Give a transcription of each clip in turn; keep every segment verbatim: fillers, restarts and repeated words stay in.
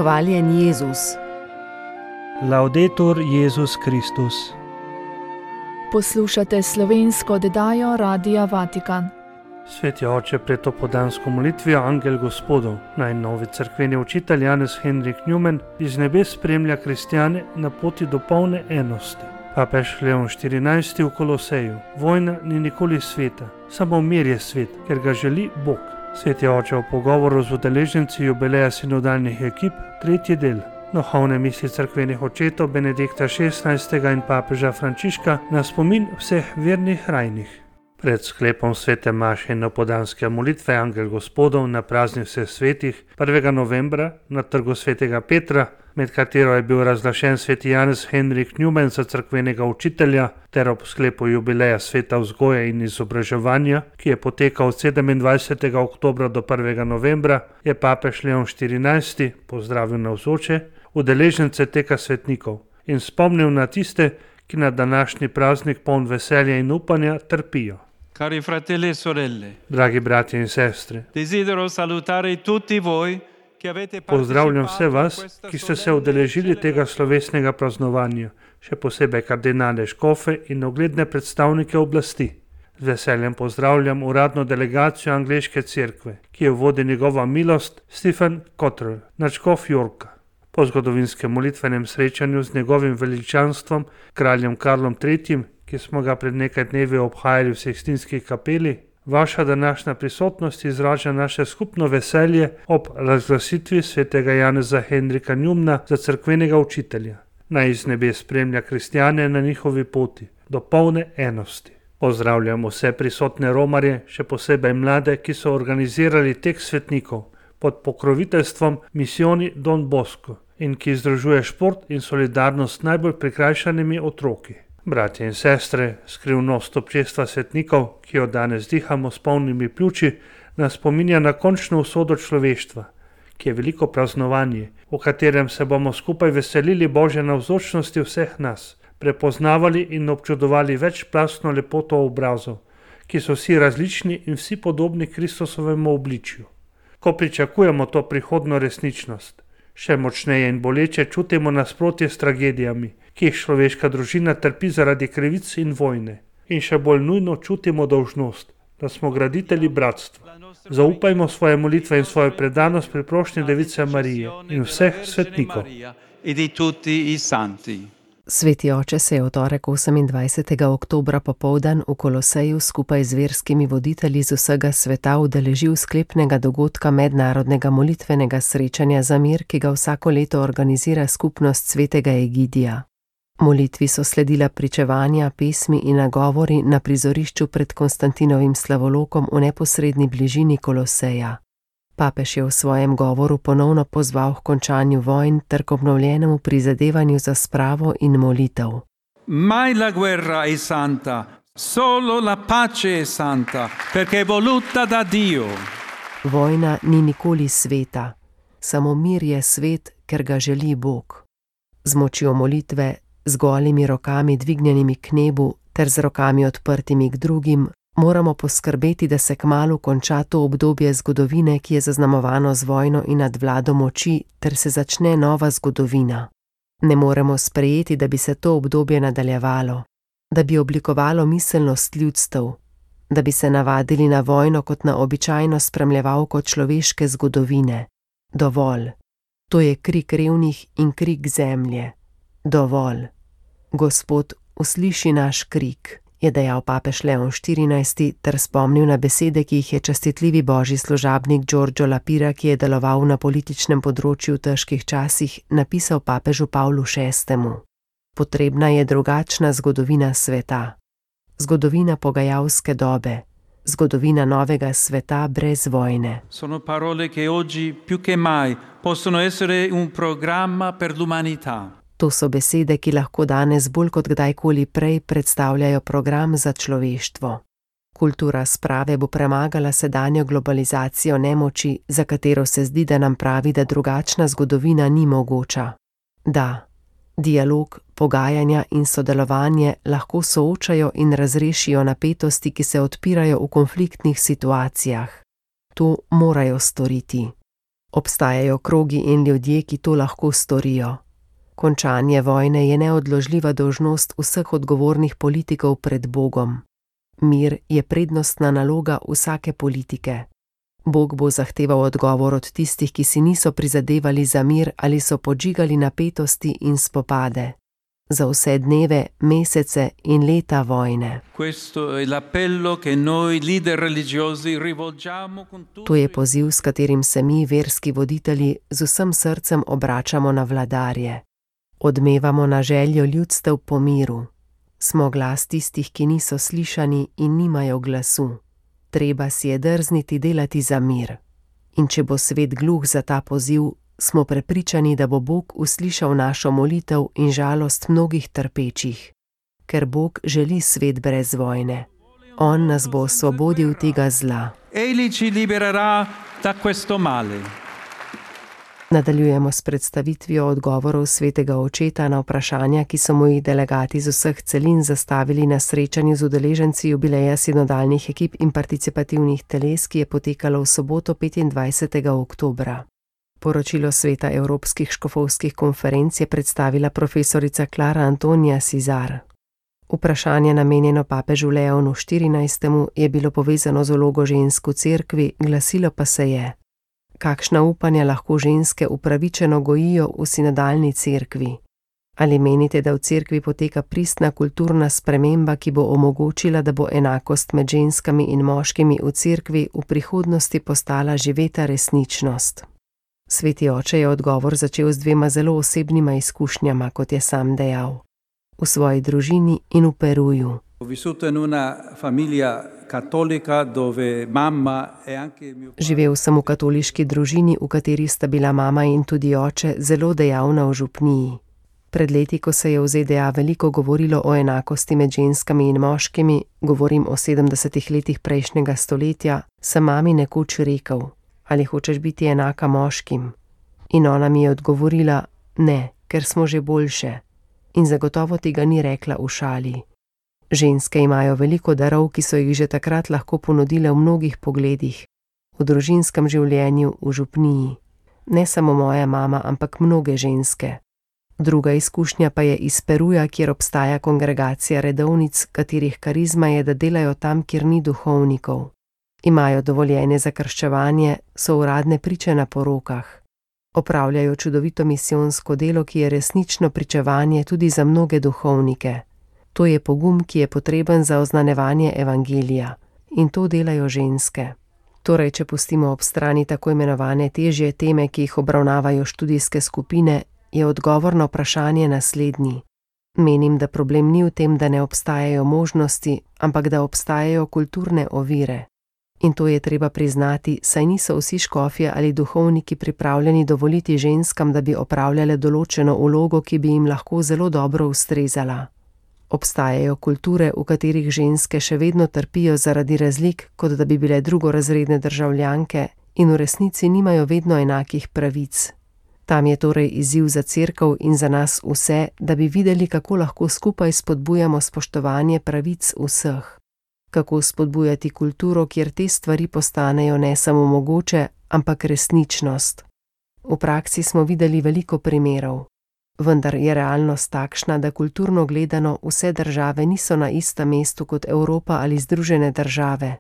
Hvaljen Jezus. Laudetur Jezus Kristus. Poslušate slovensko oddajo Radia Vatikan. Sveti oče, pred to podansko molitvijo Angel Gospodov, najnovi cerkveni učitelj Janez Henrik Newman iz nebes spremlja kristjane na poti do polne enosti. Papež Leon štirinajsti v Koloseju: vojna ni nikoli sveta, samo mir je svet, ker ga želi Bog. Sveti oče v pogovoru z udeleženci jubileja sinodalnih ekip, tretji del. Duhovne misli cerkvenih očetov Benedikta šestnajstega in papeža Frančiška na spomin vseh vernih rajnih. Pred sklepom svete maše in opodanske molitve Angel Gospodov na praznik vseh svetih prvega novembra na trgu svetega Petra, med katero je bil razglašen sveti Janez Henrik Newman za cerkvenega učitelja, ter ob sklepu jubileja sveta vzgoje in izobraževanja, ki je potekal od sedemindvajsetega oktobra do prvega novembra, je papež Leon štirinajsti pozdravil navzoče udeležence teka svetnikov in spomnil na tiste, ki na današnji praznik poln veselja in upanja trpijo. Cari fratelli e sorelle, Dragi bratje in sestre, desidero salutare tutti voi che avete pozdravljam vse partecipato a vas, questa ki ste se solenne udeležili tega celebrazione. slovesnega praznovanja, še posebej kardinale škofe in ugledne predstavnike oblasti. Z veseljem pozdravljam uradno delegacijo angleške cerkve, ki jo vodi njegova milost Stephen Cottrell, nadškof Yorka. Po zgodovinskem molitvenem srečanju z njegovim veličanstvom, kraljem Karlom tretjim, ki smo ga pred nekaj dnevi obhajali v Sikstinski kapeli, vaša današnja prisotnost izraža naše skupno veselje ob razglasitvi svetega Janeza Henrika Newmana za cerkvenega učitelja. Naj iz nebes spremlja kristjane na njihovi poti do polne enosti. Pozdravljam vse prisotne romarje, še posebej mlade, ki so organizirali tek svetnikov pod pokroviteljstvom misijoni Don Bosco in ki združuje šport in solidarnost s najbolj prikrajšanimi otroki. Bratje in sestre, skrivnost občestva svetnikov, ki jo danes dihamo s polnimi pljuči, nas spominja na končno usodo človeštva, ki je veliko praznovanje, v katerem se bomo skupaj veselili Božje navzočnosti vseh nas, prepoznavali in občudovali večplastno lepoto obrazov, ki so vsi različni in vsi podobni Kristusovemu obličju. Ko pričakujemo to prihodno resničnost, še močneje in boleče čutimo nasprotje s tragedijami, ki jih človeška družina trpi zaradi krivic in vojne. In še bolj nujno čutimo dolžnost, da smo graditelji bratstva. Zaupajmo svoje molitve in svojo predanost pri prošnji Device Marije in vseh svetnikov. E di tutti i santi. Sveti oče se je v torek osemindvajsetega oktobra popoldan v Koloseju skupaj z verskimi voditelji z vsega sveta udeležil sklepnega dogodka mednarodnega molitvenega srečanja za mir, ki ga vsako leto organizira skupnost svetega Egidija. Molitvi so sledila pričevanja, pesmi in nagovori na prizorišču pred Konstantinovim slavolokom v neposredni bližini Koloseja. Papež je v svojem govoru ponovno pozval k končanju vojn ter k obnovljenemu prizadevanju za spravo in molitev. Mai la guerra è santa, solo la pace è santa, perché è voluta da Dio. Vojna ni nikoli sveta, samo mir je svet, ker ga želi Bog. Z močjo molitve, z golimi rokami dvignjenimi k nebu ter z rokami odprtimi k drugim, moramo poskrbeti, da se kmalu konča to obdobje zgodovine, ki je zaznamovano z vojno in nadvlado moči, ter se začne nova zgodovina. Ne moremo sprejeti, da bi se to obdobje nadaljevalo, da bi oblikovalo miselnost ljudstev, da bi se navadili na vojno kot na običajno spremljevalko človeške zgodovine. Dovolj. To je krik revnih in krik zemlje. Dovolj. Gospod, usliši naš krik, je dejal papež Leon štirinajsti ter spomnil na besede, ki jih je častitljivi božji služabnik Giorgio Lapira, ki je deloval na političnem področju v težkih časih, napisal papežu Pavlu šestemu. Potrebna je drugačna zgodovina sveta. Zgodovina pogajalske dobe. Zgodovina novega sveta brez vojne. Sono parole che oggi più che mai possono essere un programma per l'umanità. To so besede, ki lahko danes bolj kot kdajkoli prej predstavljajo program za človeštvo. Kultura sprave bo premagala sedanjo globalizacijo nemoči, za katero se zdi, da nam pravi, da drugačna zgodovina ni mogoča. Da, dialog, pogajanja in sodelovanje lahko soočajo in razrešijo napetosti, ki se odpirajo v konfliktnih situacijah. To morajo storiti. Obstajajo krogi in ljudje, ki to lahko storijo. Končanje vojne je neodložljiva dolžnost vseh odgovornih politikov pred Bogom. Mir je prednostna naloga vsake politike. Bog bo zahteval odgovor od tistih, ki si niso prizadevali za mir ali so podžigali napetosti in spopade. Za vse dneve, mesece in leta vojne. To je poziv, s katerim se mi, verski voditelji, z vsem srcem obračamo na vladarje. Odmevamo na željo ljudstev po miru. Smo glas tistih, ki niso slišani in nimajo glasu. Treba si je drzniti delati za mir. In če bo svet gluh za ta poziv, smo prepričani, da bo Bog uslišal našo molitev in žalost mnogih trpečih. Ker Bog želi svet brez vojne. On nas bo osvobodil tega zla. Egli ci libererà da questo male. Nadaljujemo s predstavitvijo odgovorov svetega očeta na vprašanja, ki so mu jih delegati z vseh celin zastavili na srečanju z udeleženci jubileja sinodalnih ekip in participativnih teles, ki je potekalo v soboto petindvajsetega oktobra. Poročilo Sveta Evropskih škofovskih konferenc je predstavila profesorica Klara Antonija Sizar. Vprašanje namenjeno papežu Leonu štirinajstemu je bilo povezano z vlogo žensk v cerkvi, glasilo pa se je: kakšna upanja lahko ženske upravičeno gojijo v sinodalni cerkvi? Ali menite, da v cerkvi poteka pristna kulturna sprememba, ki bo omogočila, da bo enakost med ženskami in moškimi v cerkvi v prihodnosti postala živeta resničnost? Sveti oče je odgovor začel z dvema zelo osebnima izkušnjama, kot je sam dejal. V svoji družini in v Peruju. Živel sem v katoliški družini, v kateri sta bila mama in tudi oče zelo dejavna v župniji. Pred leti, ko se je v Z D A veliko govorilo o enakosti med ženskami in moškimi, govorim o sedemdesetih letih prejšnjega stoletja, sem mami nekoč rekel: ali hočeš biti enaka moškim? In ona mi je odgovorila: ne, ker smo že boljše. In zagotovo tega ni rekla v šali. Ženske imajo veliko darov, ki so jih že takrat lahko ponudile v mnogih pogledih. V družinskem življenju, v župniji. Ne samo moja mama, ampak mnoge ženske. Druga izkušnja pa je iz Peruja, kjer obstaja kongregacija redovnic, katerih karizma je, da delajo tam, kjer ni duhovnikov. Imajo dovoljenje za krščevanje, so uradne priče na porokah. Opravljajo čudovito misijonsko delo, ki je resnično pričevanje tudi za mnoge duhovnike. To je pogum, ki je potreben za oznanjevanje evangelija. In to delajo ženske. Torej, če pustimo ob strani tako imenovane težje teme, ki jih obravnavajo študijske skupine, je odgovor na vprašanje naslednji. Menim, da problem ni v tem, da ne obstajajo možnosti, ampak da obstajajo kulturne ovire. In to je treba priznati, saj niso vsi škofje ali duhovniki pripravljeni dovoliti ženskam, da bi opravljale določeno vlogo, ki bi jim lahko zelo dobro ustrezala. Obstajajo kulture, v katerih ženske še vedno trpijo zaradi razlik, kot da bi bile drugorazredne državljanke in v resnici nimajo vedno enakih pravic. Tam je torej izziv za cerkev in za nas vse, da bi videli, kako lahko skupaj spodbujamo spoštovanje pravic vseh. Kako spodbujati kulturo, kjer te stvari postanejo ne samo mogoče, ampak resničnost. V praksi smo videli veliko primerov. Vendar je realnost takšna, da kulturno gledano vse države niso na istem mestu kot Evropa ali Združene države.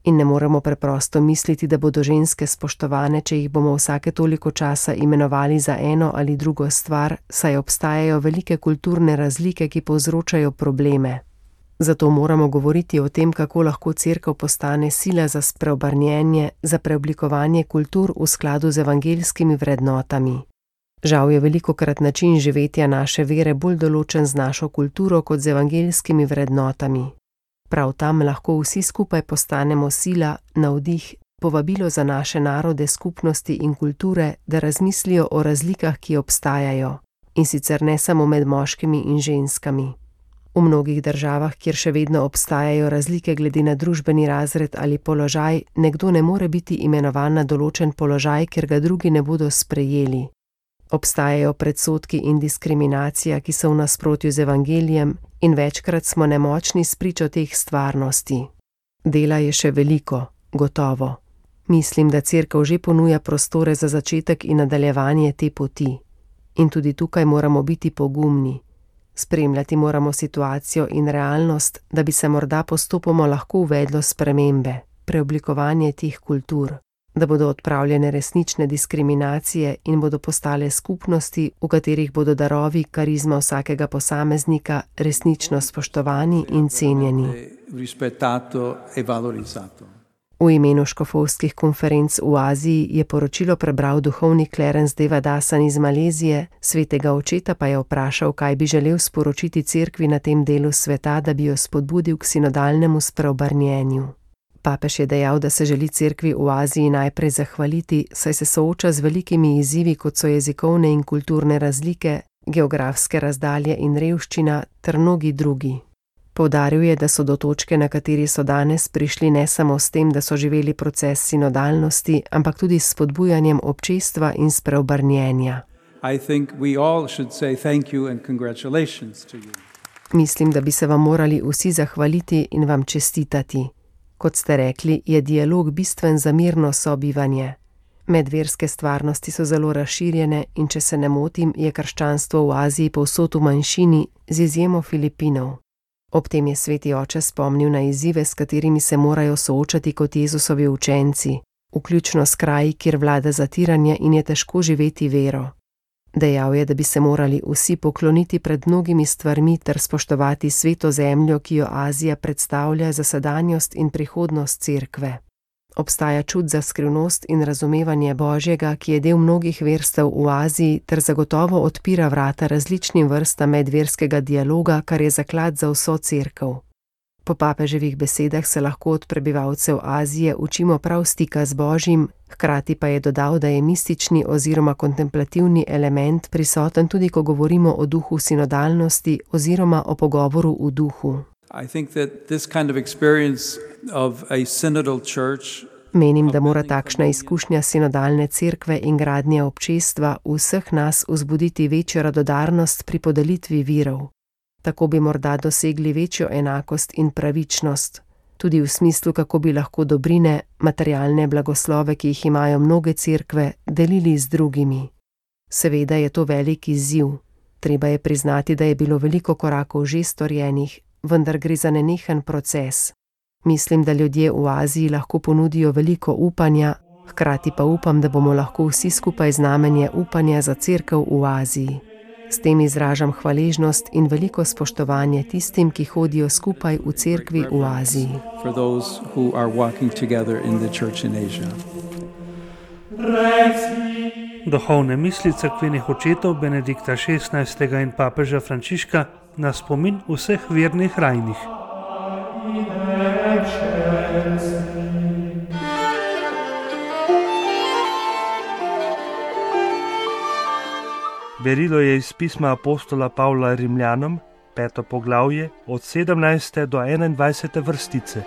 In ne moremo preprosto misliti, da bodo ženske spoštovane, če jih bomo vsake toliko časa imenovali za eno ali drugo stvar, saj obstajajo velike kulturne razlike, ki povzročajo probleme. Zato moramo govoriti o tem, kako lahko cerkev postane sila za spreobrnjenje, za preoblikovanje kultur v skladu z evangeljskimi vrednotami. Žal je velikokrat način živetja naše vere bolj določen z našo kulturo kot z evangeljskimi vrednotami. Prav tam lahko vsi skupaj postanemo sila, navdih, povabilo za naše narode, skupnosti in kulture, da razmislijo o razlikah, ki obstajajo, in sicer ne samo med moškimi in ženskami. V mnogih državah, kjer še vedno obstajajo razlike glede na družbeni razred ali položaj, nekdo ne more biti imenovan na določen položaj, ker ga drugi ne bodo sprejeli. Obstajajo predsodki in diskriminacija, ki so v nasprotju z evangelijem, in večkrat smo nemočni spričo teh stvarnosti. Dela je še veliko, gotovo. Mislim, da cerkev že ponuja prostore za začetek in nadaljevanje te poti. In tudi tukaj moramo biti pogumni. Spremljati moramo situacijo in realnost, da bi se morda postopoma lahko uvedlo spremembe, preoblikovanje teh kultur, da bodo odpravljene resnične diskriminacije in bodo postale skupnosti, v katerih bodo darovi karizma vsakega posameznika resnično spoštovani in cenjeni. V imenu škofovskih konferenc v Aziji je poročilo prebral duhovnik Clarence Devadasan iz Malezije, svetega očeta pa je vprašal, kaj bi želel sporočiti cerkvi na tem delu sveta, da bi jo spodbudil k sinodalnemu spreobrnjenju. Papež je dejal, da se želi cerkvi v Aziji najprej zahvaliti, saj se sooča z velikimi izzivi, kot so jezikovne in kulturne razlike, geografske razdalje in revščina ter mnogi drugi. Poudaril je, da so do točke, na kateri so danes prišli ne samo s tem, da so živeli proces sinodalnosti, ampak tudi s spodbujanjem občestva in spreobrnjenja. Mislim, da bi se vam morali vsi zahvaliti in vam čestitati. Kot ste rekli, je dialog bistven za mirno sobivanje. Medverske stvarnosti so zelo razširjene in če se ne motim, je krščanstvo v Aziji povsod v manjšini, z izjemo Filipinov. Ob tem je sveti oče spomnil na izzive, s katerimi se morajo soočati kot Jezusovi učenci, vključno s kraji, kjer vlada zatiranje in je težko živeti vero. Dejal je, da bi se morali vsi pokloniti pred mnogimi stvarmi ter spoštovati sveto zemljo, ki jo Azija predstavlja za sedanjost in prihodnost cerkve. Obstaja čut za skrivnost in razumevanje Božjega, ki je del mnogih verstev v Aziji ter zagotovo odpira vrata različnim vrstam medverskega dialoga, kar je zaklad za vso cerkev. Po papeževih besedah se lahko od prebivalcev Azije učimo prav stika z Božjim, hkrati pa je dodal, da je mistični oziroma kontemplativni element prisoten tudi, ko govorimo o duhu sinodalnosti oziroma o pogovoru v duhu. Menim, da mora takšna izkušnja sinodalne cerkve in gradnje občestva v vseh nas vzbuditi večjo radodarnost pri podelitvi virov. Tako bi morda dosegli večjo enakost in pravičnost, tudi v smislu, kako bi lahko dobrine, materialne blagoslove, ki jih imajo mnoge cerkve, delili z drugimi. Seveda je to velik izziv. Treba je priznati, da je bilo veliko korakov že storjenih, vendar gre za nenehen proces. Mislim, da ljudje v Aziji lahko ponudijo veliko upanja, hkrati pa upam, da bomo lahko vsi skupaj znamenje upanja za cerkev v Aziji. S tem izražam hvaležnost in veliko spoštovanje tistim, ki hodijo skupaj v cerkvi v Aziji. Duhovne misli cerkvenih očetov Benedikta šestnajstega in papeža Frančiška na spomin vseh vernih rajnih. Berilo je iz pisma apostola Pavla Rimljanom, peto poglavje, od sedemnajste do enaindvajsete vrstice.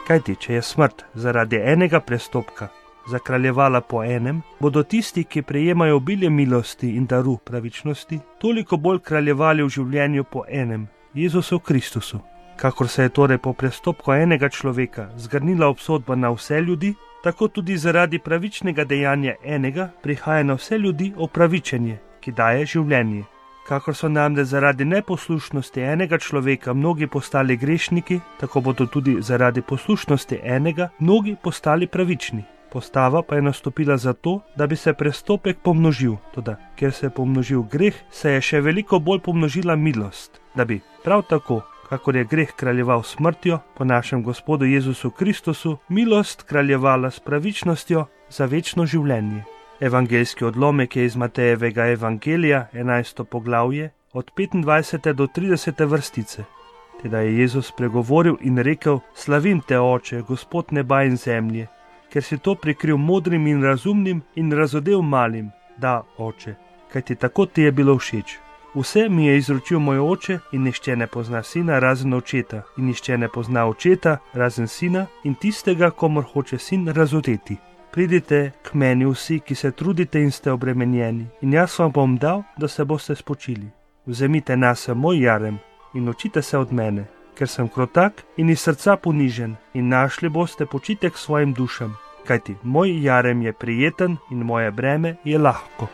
Kajti, če je smrt zaradi enega prestopka zakraljevala po enem, bodo tisti, ki prejemajo obilje milosti in daru pravičnosti, toliko bolj kraljevali v življenju po enem, Jezusu Kristusu. Kakor se je torej po prestopku enega človeka zgrnila obsodba na vse ljudi, tako tudi zaradi pravičnega dejanja enega prihaja na vse ljudi opravičenje, ki daje življenje. Kakor so namreč zaradi neposlušnosti enega človeka mnogi postali grešniki, tako bodo tudi zaradi poslušnosti enega mnogi postali pravični. Postava pa je nastopila zato, da bi se prestopek pomnožil, toda ker se je pomnožil greh, se je še veliko bolj pomnožila milost, da bi prav tako, kakor je greh kraljeval smrtjo, po našem Gospodu Jezusu Kristusu, milost kraljevala s pravičnostjo za večno življenje. Evangeljski odlomek je iz Matejevega evangelija, enajsto poglavje, od petindvajsete do tridesete vrstice. Teda je Jezus pregovoril in rekel: Slavim te, Oče, Gospod neba in zemlje, ker si to prikril modrim in razumnim in razodel malim. Da, Oče, kajti tako ti je bilo všeč. Vse mi je izročil moj Oče in nihče ne pozna sina razen očeta in nihče ne pozna očeta razen sina in tistega, komor hoče sin razodeti. Pridite k meni vsi, ki se trudite in ste obremenjeni, in jaz vam bom dal, da se boste spočili. Vzemite nase moj jarem in učite se od mene, ker sem krotak in iz srca ponižen, in našli boste počitek svojim dušam, kajti moj jarem je prijeten in moje breme je lahko.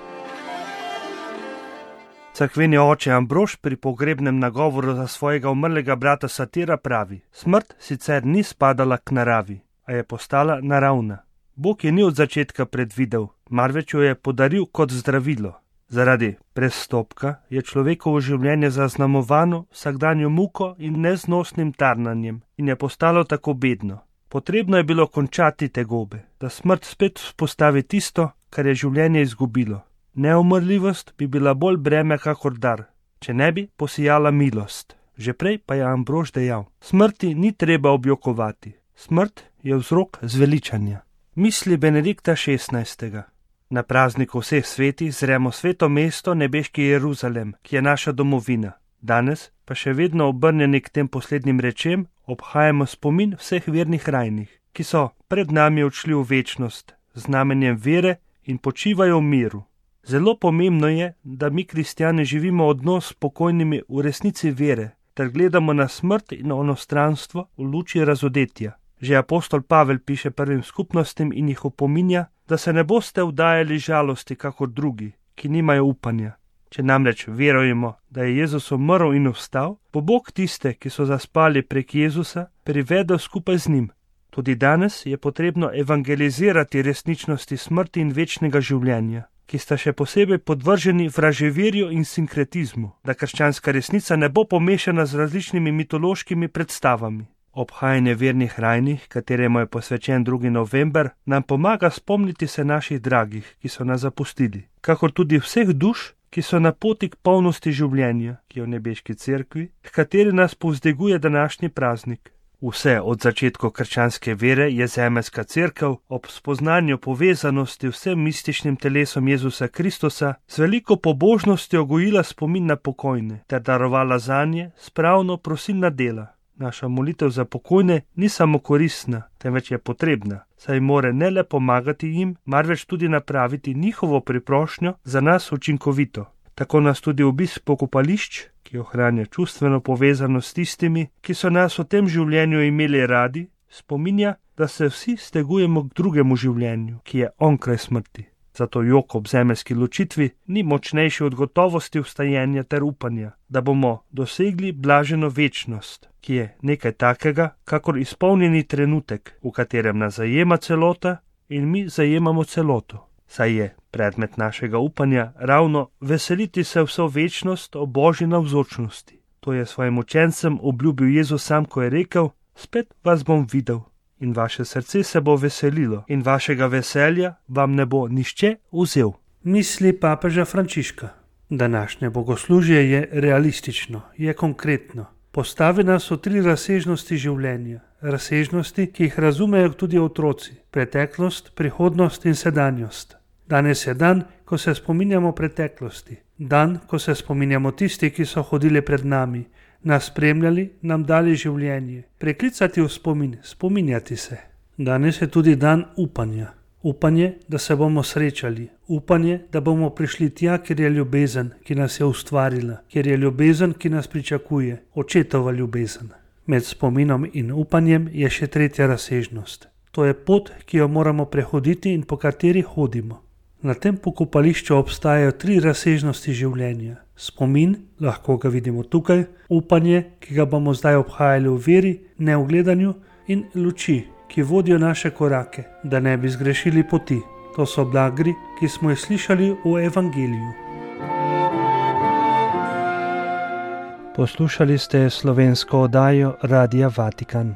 Cerkveni oče Ambrož pri pogrebnem nagovoru za svojega umrlega brata Satira pravi: smrt sicer ni spadala k naravi, a je postala naravna. Bog je ni od začetka predvidel, marveč jo je podaril kot zdravilo. Zaradi prestopka je človekovo življenje zaznamovano vsakdanjo muko in neznosnim tarnanjem in je postalo tako bedno. Potrebno je bilo končati tegobe, da smrt spet vzpostavi tisto, kar je življenje izgubilo. Neumrljivost bi bila bolj breme kakor dar, če ne bi posijala milost. Že prej pa je Ambrož dejal: smrti ni treba objokovati, smrt je vzrok zveličanja. Misli Benedikta šestnajstega. Na prazniku vseh svetih zremo sveto mesto, nebeški Jeruzalem, ki je naša domovina. Danes pa še vedno obrnjeni k tem poslednjim rečem obhajamo spomin vseh vernih rajnih, ki so pred nami odšli v večnost, znamenjem vere in počivajo v miru. Zelo pomembno je, da mi kristjani živimo odnos s pokojnimi v resnici vere, ter gledamo na smrt in onostranstvo v luči razodetja. Že apostol Pavel piše prvim skupnostim in jih opominja, da se ne boste vdajali žalosti kakor drugi, ki nimajo upanja. Če namreč verujemo, da je Jezus umrl in vstal, bo Bog tiste, ki so zaspali prek Jezusa, privedel skupaj z njim. Tudi danes je potrebno evangelizirati resničnosti smrti in večnega življenja, ki sta še posebej podvrženi vraževerju in sinkretizmu, da krščanska resnica ne bo pomešana z različnimi mitološkimi predstavami. Obhajanje vernih rajnih, kateremu je posvečen drugi november, nam pomaga spomniti se naših dragih, ki so nas zapustili, kakor tudi vseh duš, ki so na poti k polnosti življenja, ki je v nebeški cerkvi, h kateri nas povzdiguje današnji praznik. Vse od začetkov krščanske vere je zemeljska cerkev ob spoznanju povezanosti vsem mističnim telesom Jezusa Kristusa z veliko pobožnostjo gojila spomin na pokojne ter darovala zanje spravno prosilna dela. Naša molitev za pokojne ni samo koristna, temveč je potrebna, saj more ne le pomagati jim, marveč tudi napraviti njihovo priprošnjo za nas učinkovito. Tako nas tudi obisk pokopališč, ki ohranja čustveno povezanost s tistimi, ki so nas v tem življenju imeli radi, spominja, da se vsi stegujemo k drugemu življenju, ki je onkraj smrti. Zato jok ob zemeljski ločitvi ni močnejši od gotovosti vstajenja ter upanja, da bomo dosegli blaženo večnost, ki je nekaj takega, kakor izpolnjeni trenutek, v katerem nas zajema celota in mi zajemamo celoto. Saj je predmet našega upanja ravno veseliti se vso večnost o Božji navzočnosti. To je svojim učencem obljubil Jezus sam, ko je rekel: spet vas bom videl. In vaše srce se bo veselilo in vašega veselja vam ne bo nihče vzel. Misli papeža Frančiška. Današnje bogoslužje je realistično, je konkretno. Postavi nas v tri razsežnosti življenja, razsežnosti, ki jih razumejo tudi otroci: preteklost, prihodnost in sedanjost. Danes je dan, ko se spominjamo preteklosti, dan, ko se spominjamo tisti, ki so hodili pred nami, nas spremljali, nam dali življenje, preklicati v spomin, spominjati se. Danes je tudi dan upanja. Upanje, da se bomo srečali, upanje, da bomo prišli tja, kjer je ljubezen, ki nas je ustvarila, kjer je ljubezen, ki nas pričakuje, očetova ljubezen. Med spominom in upanjem je še tretja razsežnost. To je pot, ki jo moramo prehoditi in po kateri hodimo. Na tem pokopališču obstajajo tri razsežnosti življenja. Spomin, lahko ga vidimo tukaj, upanje, ki ga bomo zdaj obhajali v veri, ne v gledanju, in luči, ki vodijo naše korake, da ne bi zgrešili poti. To so blagri, ki smo jih slišali v evangeliju. Poslušali ste slovensko oddajo Radia Vatikan.